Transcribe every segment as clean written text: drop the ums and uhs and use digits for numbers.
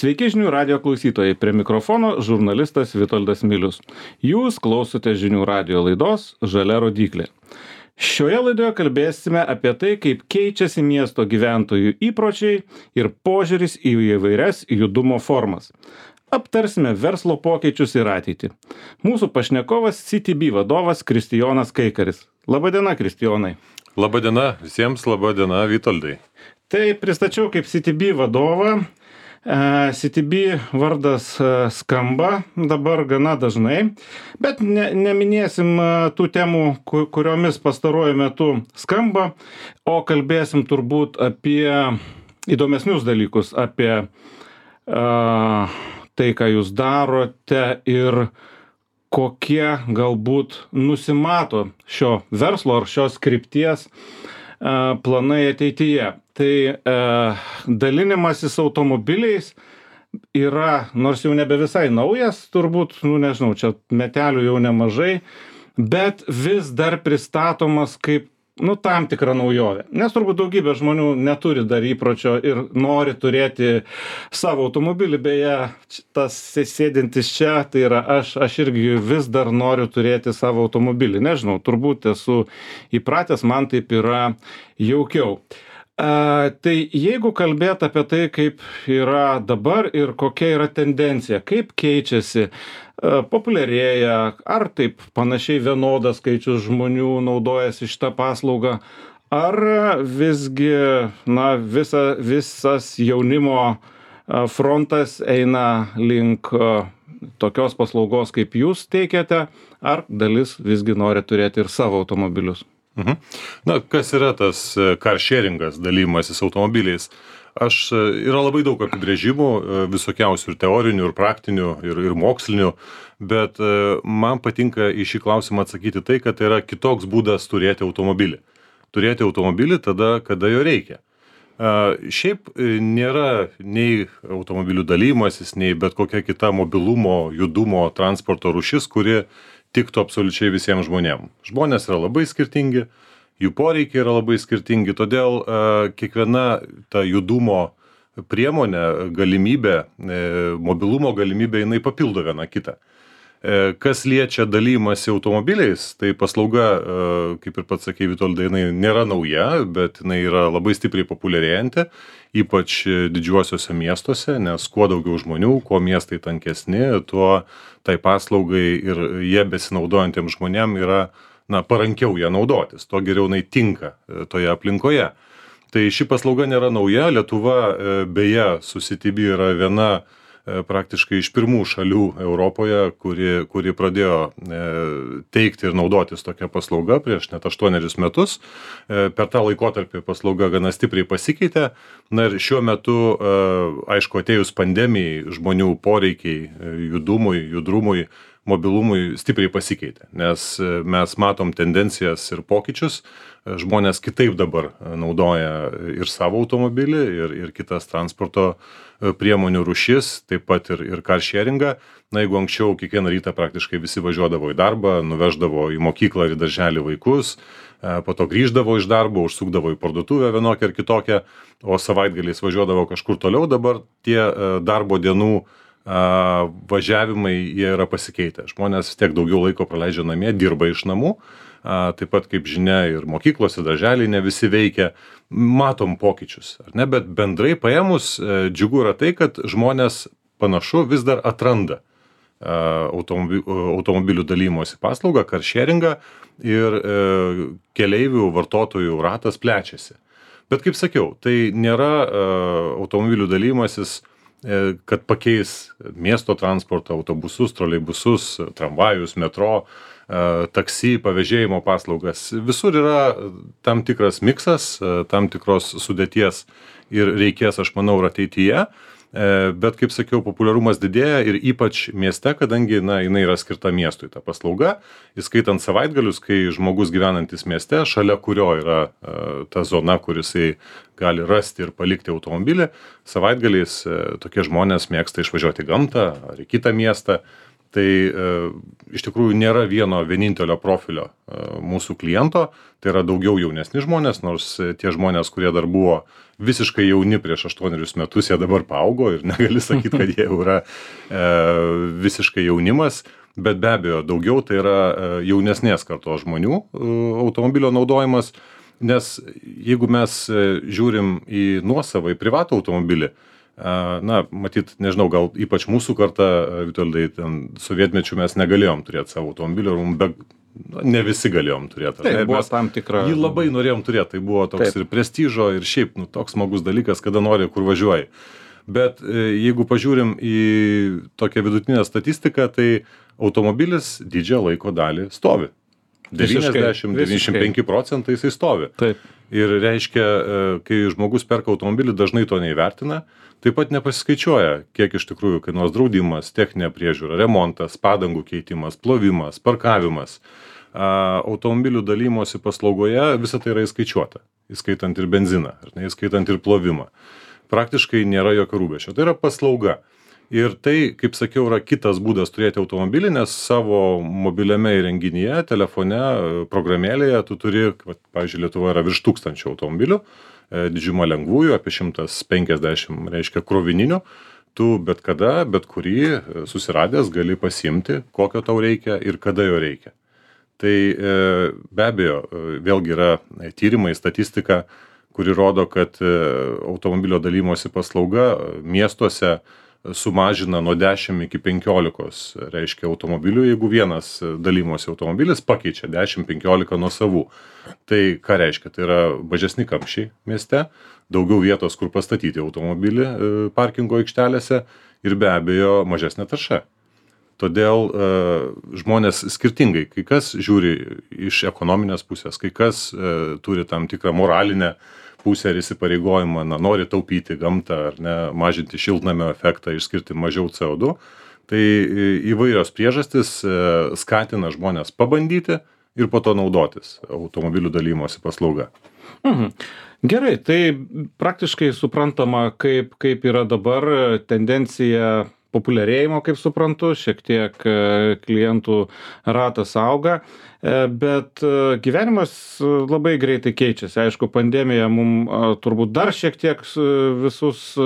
Sveiki žinių radio klausytojai, prie mikrofono žurnalistas Vitoldas Milius. Jūs klausote žinių radio laidos Žalia rodyklė. Šioje laidoje kalbėsime apie tai, kaip keičiasi miesto gyventojų įpročiai ir požiūris į įvairias judumo formas. Aptarsime verslo pokyčius ir ateitį. Mūsų pašnekovas CTB vadovas Kristijonas Kaikaris. Labadiena, Kristijonai. Labadiena visiems, labadiena Vitoldai. Tai pristačiau kaip CTB vadovą. CTB vardas skamba dabar gana dažnai, bet neminėsim tų temų, kuriomis pastaruoju metu skamba, o kalbėsim turbūt apie įdomesnius dalykus, apie tai, ką jūs darote ir kokie galbūt nusimato šio verslo ar šios krypties planai ateityje. Tai dalinimasis automobiliais yra, nors jau nebe visai naujas, turbūt, nežinau, čia metelių jau nemažai, bet vis dar pristatomas kaip, tam tikra naujovė. Nes turbūt daugybė žmonių neturi dar įpročio ir nori turėti savo automobilį. Beje, tas sėdintis čia, tai yra aš irgi vis dar noriu turėti savo automobilį. Nežinau, turbūt esu įpratęs, man taip yra jaukiau. Tai jeigu kalbėt apie tai, kaip yra dabar ir kokia yra tendencija, kaip keičiasi, populiarėja, ar taip panašiai vienodas skaičius žmonių naudojasi šitą paslaugą, ar visgi visas jaunimo frontas eina link tokios paslaugos, kaip jūs teikiate, ar dalis visgi nori turėti ir savo automobilius? Kas yra tas carsharingas, dalymasis automobiliais? Yra labai daug apibrėžimų, visokiausių ir teorinių, ir praktinių, ir mokslinių, bet man patinka į šį klausimą atsakyti tai, kad tai yra kitoks būdas turėti automobilį. Turėti automobilį tada, kada jo reikia. Šiaip nėra nei automobilių dalymasis, nei bet kokia kita mobilumo, judumo, transporto rūšis, kuri tiktų absoliučiai visiems žmonėms. Žmonės yra labai skirtingi, jų poreikiai yra labai skirtingi, todėl kiekviena ta judumo priemonė, galimybė, mobilumo galimybė, jinai papildo vieną kitą. Kas liečia dalymasi automobiliais, tai paslauga, kaip ir pats sakei, Vitoldai, jinai nėra nauja, bet jinai yra labai stipriai populiarėjanti, ypač didžiuosiuose miestuose, nes kuo daugiau žmonių, kuo miestai tankesni, tuo tai paslaugai ir jie besinaudojantiems žmonėm yra parankiau ją naudotis, tuo geriau jinai tinka toje aplinkoje. Tai ši paslauga nėra nauja, Lietuva beje su CTB yra viena praktiškai iš pirmų šalių Europoje, kuri pradėjo teikti ir naudotis tokią paslaugą prieš net 8 metus. Per tą laikotarpį paslauga gana stipriai pasikeitė. Ir šiuo metu, aišku, atėjus pandemijai, žmonių poreikiai judrumui, mobilumui stipriai pasikeitė, nes mes matom tendencijas ir pokyčius. Žmonės kitaip dabar naudoja ir savo automobilį, ir kitas transporto priemonių rūšis, taip pat ir carsharingą. Jeigu anksčiau kiekvieną rytą praktiškai visi važiuodavo į darbą, nuveždavo į mokyklą ir į darželį vaikus, po to grįždavo iš darbo, užsukdavo į parduotuvę vienokią ar kitokią, o savaitgaliais važiuodavo kažkur toliau, dabar tie darbo dienų važiavimai jie yra pasikeitę. Žmonės tiek daugiau laiko praleidžia namie, dirba iš namų. Taip pat, kaip žinia, ir mokyklose, darželiai ne visi veikia, matom pokyčius, ar ne? Bet bendrai paėmus džiugu yra tai, kad žmonės panašu vis dar atranda automobilių dalymosi paslaugą, carsharingą ir keleivių vartotojų ratas plečiasi. Bet kaip sakiau, tai nėra automobilių dalymasis, kad pakeis miesto transportą, autobusus, troleibusus, tramvajus, metro, taksi, pavėžėjimo paslaugas. Visur yra tam tikras miksas, tam tikros sudėties ir reikės, aš manau, ir ateityje. Bet, kaip sakiau, populiarumas didėja ir ypač mieste, kadangi jinai yra skirta miestui ta paslauga, įskaitant savaitgalius, kai žmogus gyvenantis mieste, šalia kurio yra ta zona, kur jisai gali rasti ir palikti automobilį, savaitgaliais tokie žmonės mėgsta išvažiuoti į gamtą ar į kitą miestą. Tai iš tikrųjų nėra vieno vienintelio profilio mūsų kliento, tai yra daugiau jaunesni žmonės, nors tie žmonės, kurie dar buvo visiškai jauni prieš 8 metus, jie dabar paaugo ir negali sakyti, kad jie jau yra visiškai jaunimas, bet be abejo daugiau tai yra jaunesnės kartos žmonių automobilio naudojimas, nes jeigu mes žiūrim į nuosavą, į privatų automobilį, na, matyt, nežinau, gal ypač mūsų karta, Vitoldai, ten sovietmečių mes negalėjom turėti savo automobilio, ne visi galėjom turėti. Tai buvo tam tikra. Jį labai norėjom turėti, tai buvo toks ir prestižo, ir šiaip toks smagus dalykas, kada nori, kur važiuoji. Bet jeigu pažiūrim į tokią vidutinę statistiką, tai automobilis didžiąją laiko dalį stovi. 90-95% jisai stovi. Taip. Ir reiškia, kai žmogus perka automobilį, dažnai to neįvertina, taip pat nepasiskaičiuoja, kiek iš tikrųjų kainuos draudimas, techninė priežiūra, remontas, padangų keitimas, plovimas, parkavimas. Automobilių dalymosi paslaugoje visą tai yra įskaičiuota, įskaitant ir benziną, įskaitant ir plovimą. Praktiškai nėra jokio rūpesčio. Tai yra paslauga. Ir tai, kaip sakiau, yra kitas būdas turėti automobilį, nes savo mobiliame įrenginyje, telefone, programėlėje tu turi, pavyzdžiui, Lietuvoje yra virš 1000 automobilių, didžiuma lengvųjų, apie 150, reiškia, krovininių. Tu bet kada, bet kurį susiradęs gali pasiimti, kokio tau reikia ir kada jo reikia. Tai be abejo, vėlgi yra tyrimai, statistika, kuri rodo, kad automobilio dalymosi paslauga miestuose sumažina nuo 10 iki 15, reiškia, automobilių, jeigu vienas dalymosi automobilis pakeičia 10-15 nuo savų. Tai ką reiškia? Tai yra mažesni kamščiai mieste, daugiau vietos, kur pastatyti automobilį parkingo aikštelėse ir be abejo mažesnė tarša. Todėl žmonės skirtingai, kai kas žiūri iš ekonominės pusės, kai kas turi tam tikrą moralinę pusę ir įsipareigojimą, nori taupyti gamtą ar ne, mažinti šiltnamio efektą, išskirti mažiau CO2. Tai įvairios priežastys skatina žmonės pabandyti ir po to naudotis automobilių dalymosi paslauga. Gerai, tai praktiškai suprantama, kaip yra dabar tendencija populiarėjimo, kaip suprantu, šiek tiek klientų ratas auga, bet gyvenimas labai greitai keičiasi. Aišku, pandemija mums turbūt dar šiek tiek visus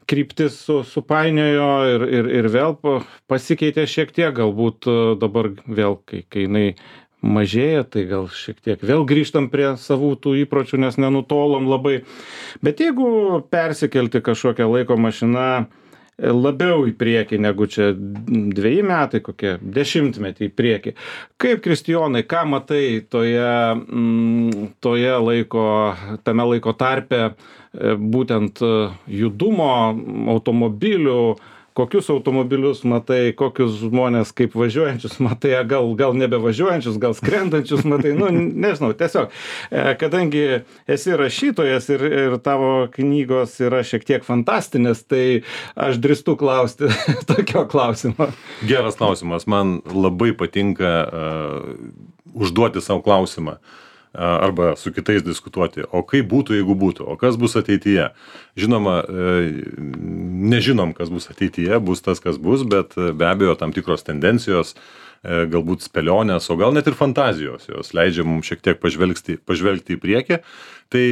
kryptis supainiojo ir vėl pasikeitė šiek tiek, galbūt dabar vėl, kai jinai mažėja, tai gal šiek tiek vėl grįžtam prie savų tų įpročių, nes nenutolom labai. Bet jeigu persikelti kažkokią laiko mašiną labiau į priekį negu čia 2 metai, kokie 10 metai į priekį. Kaip, Kristijonai, ką matai tame laiko tarpe būtent judumo, automobilių, kokius automobilius matai, kokius žmonės kaip važiuojančius matai, gal nebevažiuojančius, gal skrendančius matai, nežinau, tiesiog, kadangi esi rašytojas ir tavo knygos yra šiek tiek fantastinės, tai aš drįstu klausti tokio klausimo. Geras klausimas, man labai patinka užduoti savo klausimą. Arba su kitais diskutuoti, o kaip būtų, jeigu būtų, o kas bus ateityje. Žinoma, nežinom, kas bus ateityje, bus tas, kas bus, bet be abejo tam tikros tendencijos, galbūt spėlionės, o gal net ir fantazijos, jos leidžia mums šiek tiek pažvelgti į priekį. Tai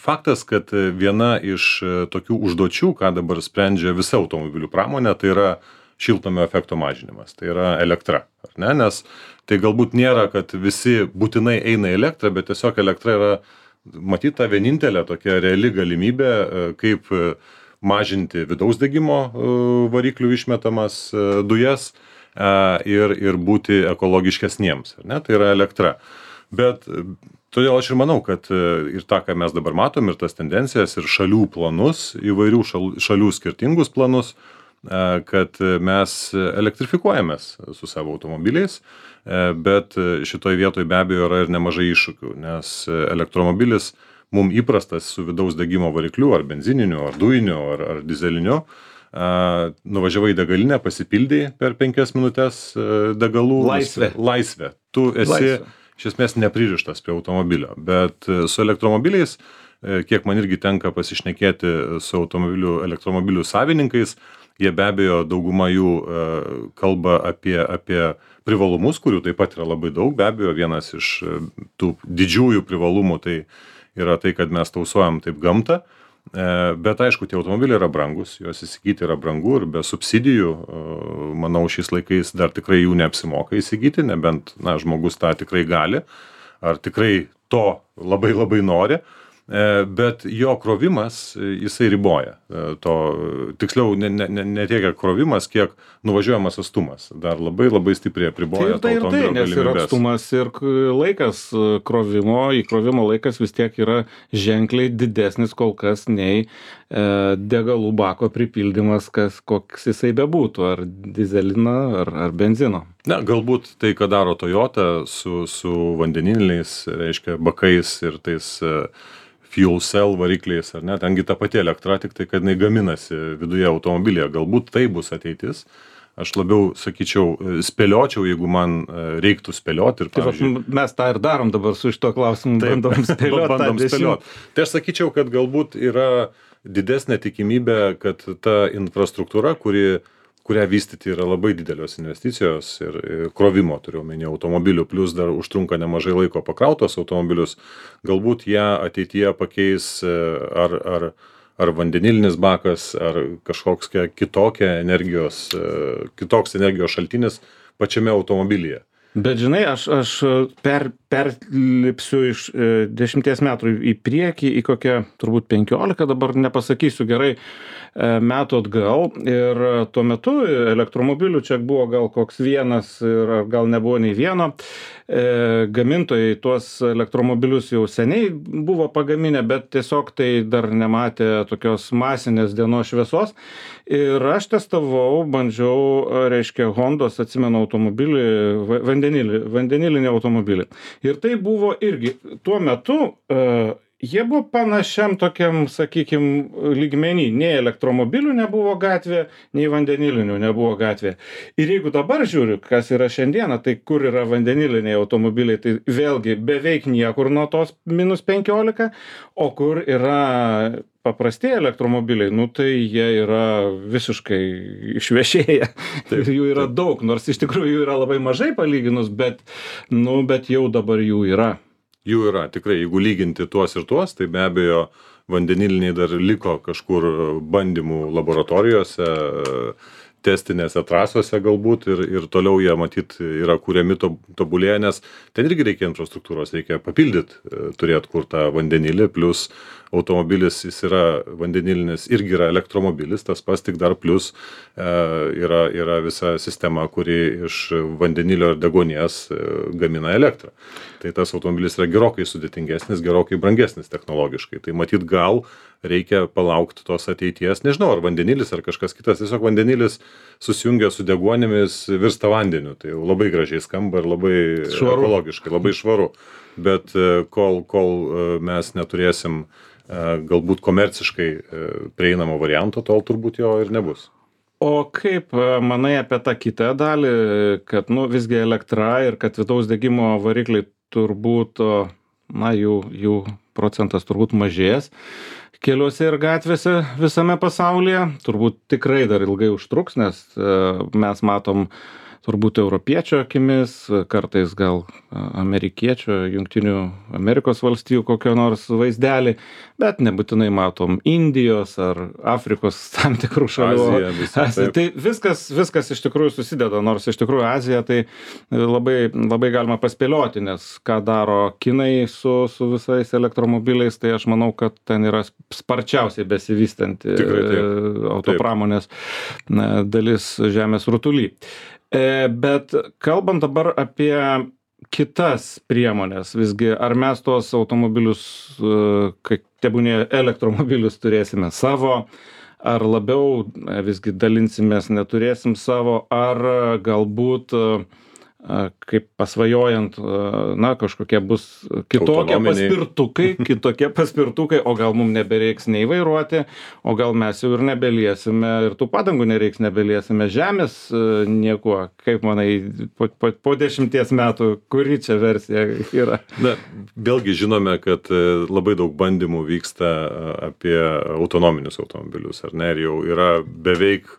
faktas, kad viena iš tokių užduočių, ką dabar sprendžia visa automobilių pramonė, tai yra šiltnamio efekto mažinimas, tai yra elektra, ar ne? Nes tai galbūt nėra, kad visi būtinai eina į elektrą, bet tiesiog elektra yra, matyt, ta vienintelė tokia reali galimybė, kaip mažinti vidaus degimo variklių išmetamas dujas ir būti ekologiškesniems, ar ne? Tai yra elektra. Bet todėl aš ir manau, kad ir tą, ką mes dabar matom, ir tas tendencijas, ir šalių planus, įvairių šalių skirtingus planus, kad mes elektrifikuojamės su savo automobiliais, bet šitoj vietoj be abejo yra ir nemažai iššūkių, nes elektromobilis mums įprastas su vidaus degimo varikliu, ar benzininiu, ar dujiniu, ar dizeliniu, nuvažiavai į degalinę, pasipildai per 5 minutes degalų. Laisvė. Tu esi iš esmės nepririštas prie automobilio, bet su elektromobiliais, kiek man irgi tenka pasišnekėti su elektromobilių savininkais, Jie be abejo dauguma jų kalba apie privalumus, kurių taip pat yra labai daug. Be abejo, vienas iš tų didžiųjų privalumų tai yra tai, kad mes tausojam taip gamtą. Bet aišku, tie automobiliai yra brangus, juos įsigyti yra brangu ir be subsidijų, manau, šiais laikais dar tikrai jų neapsimoka įsigyti, nebent žmogus tą tikrai gali, ar tikrai to labai labai nori. Bet jo krovimas, jisai riboja. Tiksliau, ne tiek krovimas, kiek nuvažiuojamas atstumas. Dar labai labai stipriai apriboja to automobilio galimybės. Nes ir atstumas, ir laikas įkrovimo laikas vis tiek yra ženkliai didesnis kol kas nei degalų bako pripildymas, koks jisai bebūtų, ar dyzelino, ar benzino. Galbūt tai, ką daro Toyota su vandeniliniais, reiškia, bakais ir tais fuel cell varikliais, ar ne, tengi ta pati elektra, tik tai, kad jinai gaminasi viduje automobilyje. Galbūt tai bus ateitis. Aš labiau, sakyčiau, spėliočiau, jeigu man reiktų spėlioti. Mes tą ir darom dabar su šito klausimu, bandom spėlioti. Tai aš sakyčiau, kad galbūt yra didesnė tikimybė, kad ta infrastruktūra, kurią vystyti yra labai didelios investicijos ir krovimo, turiu omeny, automobilių, plus dar užtrunka nemažai laiko pakrautos automobilius, galbūt ją ateityje pakeis ar vandenilinis bakas, ar kažkoks kitoks energijos šaltinis pačiame automobilyje. Bet žinai, aš perlipsiu iš 10 metų į priekį, į kokią turbūt 15, dabar nepasakysiu gerai, metų atgal, ir tuo metu elektromobilių čia buvo gal koks vienas, ir gal nebuvo nei vieno. Gamintojai tuos elektromobilius jau seniai buvo pagaminę, bet tiesiog tai dar nematė tokios masinės dienos šviesos. Ir aš testavau, bandžiau, reiškia, Hondos, atsimenu, automobilį, vandenilinį automobilį. Ir tai buvo irgi tuo metu jie buvo panašiam tokiam, sakykim, lygmenį. Nei elektromobilių nebuvo gatvė, nei vandenilinių nebuvo gatvė. Ir jeigu dabar žiūriu, kas yra šiandieną, tai kur yra vandeniliniai automobiliai, tai vėlgi beveik niekur nuo tos -15, o kur yra paprasti elektromobiliai, tai jie yra visiškai išvešėję. Ir jų yra daug, nors iš tikrųjų jų yra labai mažai palyginus, bet jau dabar jų yra. Jų yra, tikrai, jeigu lyginti tuos ir tuos, tai be abejo vandeniliniai dar liko kažkur bandymų laboratorijose, testinėse trasose galbūt ir toliau jie matyt yra kuriami tobulėja, nes ten irgi reikia infrastruktūros, reikia papildyti, turėti kur tą vandenilį, plus automobilis jis yra vandenilinis, irgi yra elektromobilis, tas pats tik dar plus yra visa sistema, kuri iš vandenilio ir deguonies gamina elektrą. Tai tas automobilis yra gerokai sudėtingesnis, gerokai brangesnis technologiškai. Tai matyt gal reikia palaukti tos ateities, nežinau, ar vandenilis, ar kažkas kitas, tiesiog vandenilis susijungia su deguonimis, virsta vandeniu, tai jau labai gražiai skamba ir labai ekologiškai, labai švaru, bet kol mes neturėsim galbūt komerciškai prieinamo varianto, tol turbūt jo ir nebus. O kaip manai apie tą kitą dalį, kad visgi elektra ir kad vidaus degimo varikliai turbūt, jų procentas turbūt mažės keliuose ir gatvėse visame pasaulyje, turbūt tikrai dar ilgai užtruks, nes mes matom turbūt europiečio akimis, kartais gal amerikiečio, Jungtinių Amerikos valstijų kokio nors vaizdelį, bet nebūtinai matom Indijos ar Afrikos tam tikrų šalių. Azija, tai viskas iš tikrųjų susideda, nors iš tikrųjų Azija tai labai galima paspėlioti, nes ką daro kinai su visais elektromobiliais, tai aš manau, kad ten yra sparčiausiai besivystanti autopramonės dalis žemės rutuly. Bet kalbant dabar apie kitas priemonės, visgi ar mes tuos automobilius, tebūnie elektromobilius turėsime savo, ar labiau visgi dalinsimės, neturėsim savo, ar galbūt kaip pasvajojant, kažkokie bus kitokie paspirtukai, o gal mums nebereiks nei vairuoti, o gal mes jau ir nebeliesime, ir tų padangų nereiks nebeliesime, žemės niekuo. Kaip manai, po 10 metų, kuri čia versija yra? Vėlgi žinome, kad labai daug bandymų vyksta apie autonominius automobilius, ar ne, ir jau yra beveik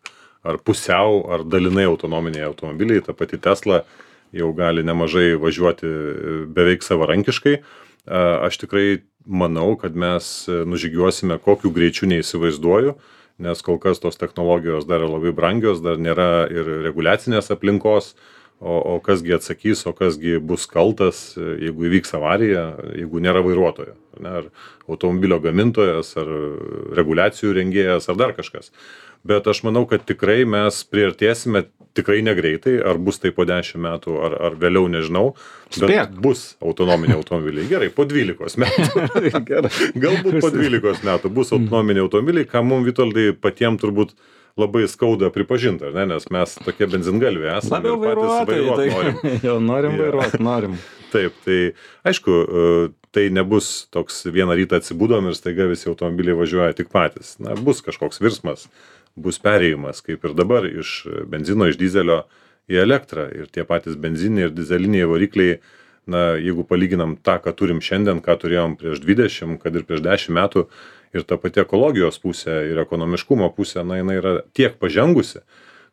ar pusiau, ar dalinai autonominiai automobiliai. Ta pati Tesla jau gali nemažai važiuoti beveik savarankiškai. Aš tikrai manau, kad mes nužygiuosime kokiu greičiu neįsivaizduoju, nes kol kas tos technologijos dar yra labai brangios, dar nėra ir reguliacinės aplinkos, o kasgi atsakys, o kasgi bus kaltas, jeigu įvyks avarija, jeigu nėra vairuotojo, ar automobilio gamintojas, ar reguliacijų rengėjas, ar dar kažkas. Bet aš manau, kad tikrai mes priartėsime tikrai negreitai, ar bus tai po 10 metų, ar vėliau, nežinau, bet bus autonominiai automobiliai. Gerai, po 12 metų. Galbūt po 12 metų bus autonominiai automobiliai, ką mums, Vitoldai, patiems turbūt labai skauda pripažinti, ar ne, nes mes tokie benzingalviai esame. Labiau vairuoti norim. Jau norim vairuoti, norim. Taip, tai aišku, tai nebus toks vieną rytą atsibudom ir staiga visi automobiliai važiuoja tik patys. Na, bus kažkoks virsmas, bus perėjimas, kaip ir dabar, iš benzino, iš dizelio į elektrą. Ir tie patys benziniai ir dizeliniai varikliai, na, jeigu palyginam tą, ką turim šiandien, ką turėjom prieš 20, kad ir prieš 10 metų, ir ta pati ekologijos pusė ir ekonomiškumo pusė, na, jinai yra tiek pažengusi,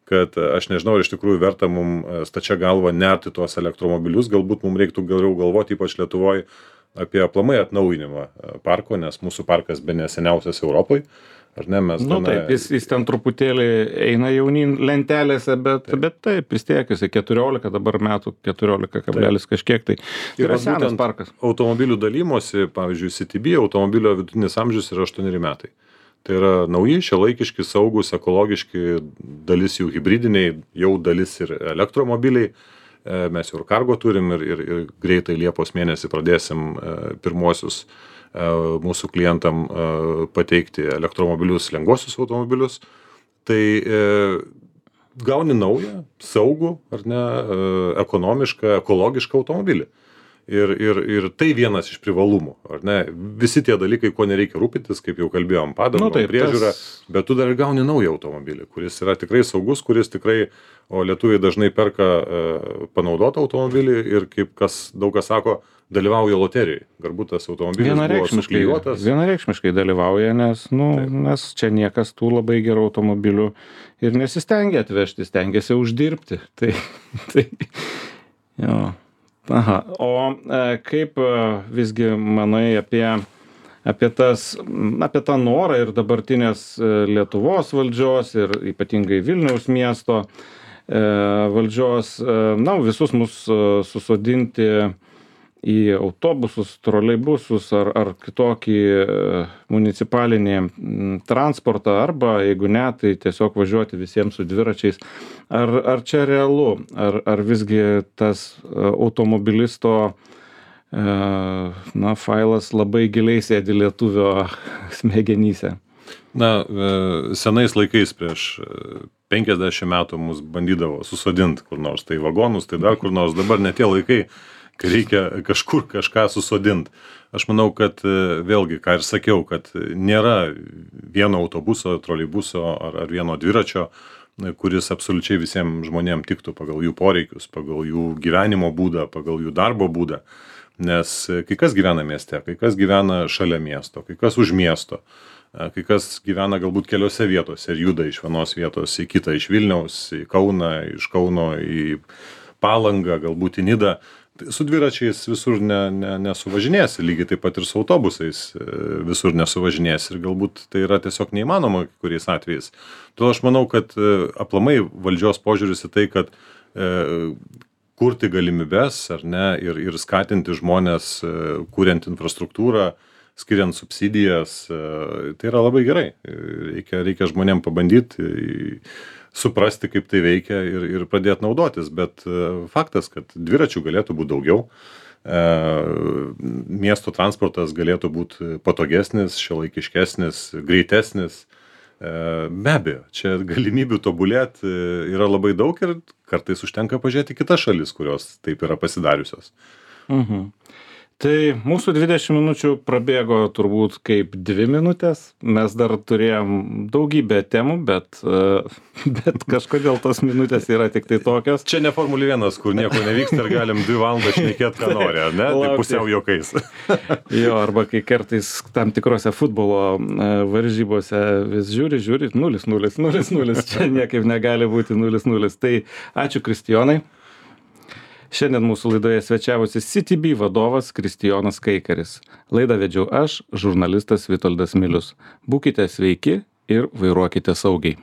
kad aš nežinau, ar iš tikrųjų verta mums stačia galva nerti tuos elektromobilius, galbūt mums reiktų geriau galvoti, ypač Lietuvoje, apie aplamai atnaujinimą parko, nes mūsų parkas bene seniausias Europoje. Ar ne, mes taip, jis ten truputėlį eina jaunyn lentelėse, bet taip, vis tiek jis 14 dabar metų, 14 kažkiek, tai yra senas parkas. Automobilių dalymosi, pavyzdžiui, CTB automobilio vidutinis amžius yra 8 metai. Tai yra nauji, šiuolaikiški, saugus, ekologiški, dalis jų hibridiniai, jau dalis ir elektromobiliai. Mes jau ir kargo turim ir greitai Liepos mėnesį pradėsim pirmuosius mūsų klientam pateikti elektromobilius, lengvuosius automobilius. Tai gauni naują, saugų, ar ne, ekonomišką, ekologišką automobilį. Ir tai vienas iš privalumų, ar ne? Visi tie dalykai, ko nereikia rūpintis, kaip jau kalbėjom, padangom, priežiūra, bet tu dar gauni naują automobilį, kuris yra tikrai saugus, kuris tikrai, o lietuviai dažnai perka panaudotą automobilį ir kaip daug kas sako, dalyvauja loterijoje. Galbūt tas automobilis buvo suklijuotas. Vienareikšmiškai dalyvauja, nes čia niekas tų labai gerų automobilių ir nesistengia atvežti, stengiasi uždirbti. Tai jo. Aha. O kaip visgi manai apie tą norą ir dabartinės Lietuvos valdžios ir ypatingai Vilniaus miesto valdžios, visus mus susodinti į autobusus, troleibusus ar kitokį municipalinį transportą, arba jeigu ne, tai tiesiog važiuoti visiems su dviračiais. Ar čia realu? Ar visgi tas automobilisto failas labai giliai sėdi lietuvio smegenyse? Na, senais laikais prieš 50 metų mus bandydavo susodinti kur nors, tai vagonus, tai dar kur nors. Dabar ne tie laikai, kai reikia kažkur kažką susodinti. Aš manau, kad vėlgi, ką ir sakiau, kad nėra vieno autobuso, troleibuso ar vieno dviračio, kuris absoliučiai visiems žmonėms tiktų pagal jų poreikius, pagal jų gyvenimo būdą, pagal jų darbo būdą. Nes kai kas gyvena mieste, kai kas gyvena šalia miesto, kai kas už miesto, kai kas gyvena galbūt keliose vietose ir juda iš vienos vietos į kitą, iš Vilniaus, į Kauną, iš Kauno į Palangą, galbūt į Nidą. Su dviračiais visur nesuvažinėsi, lygiai taip pat ir su autobusais visur nesuvažinėsi ir galbūt tai yra tiesiog neįmanoma kuriais atvejais. Todėl aš manau, kad aplamai valdžios požiūris į tai, kad kurti galimybes ar ne, ir skatinti žmonės, kuriant infrastruktūrą, skiriant subsidijas, tai yra labai gerai. Reikia žmonėm pabandyti suprasti, kaip tai veikia ir pradėti naudotis, bet faktas, kad dviračių galėtų būti daugiau, miesto transportas galėtų būti patogesnis, šiuolaikiškesnis, greitesnis. Be abejo, čia galimybių tobulėti yra labai daug ir kartais užtenka pažiūrėti kitas šalis, kurios taip yra pasidariusios. Tai mūsų 20 minučių prabėgo turbūt kaip 2 minutės. Mes dar turėjom daugybę temų, bet kažkodėl tos minutės yra tik tai tokios. Čia ne Formulė 1, kur nieko nevyksta ir galim 2 valandas šnekėti, ką nori, ar ne? Tai pusiau juokais. Jo, arba kai kartais tam tikrose futbolo varžybose vis žiūri, 0-0, čia niekaip negali būti 0-0. Tai ačiū Kristijonai. Šiandien mūsų laidoje svečiavosi CityBee vadovas Kristijonas Kaikaris. Laidą vedžiau aš, žurnalistas Vitoldas Milius. Būkite sveiki ir vairuokite saugiai.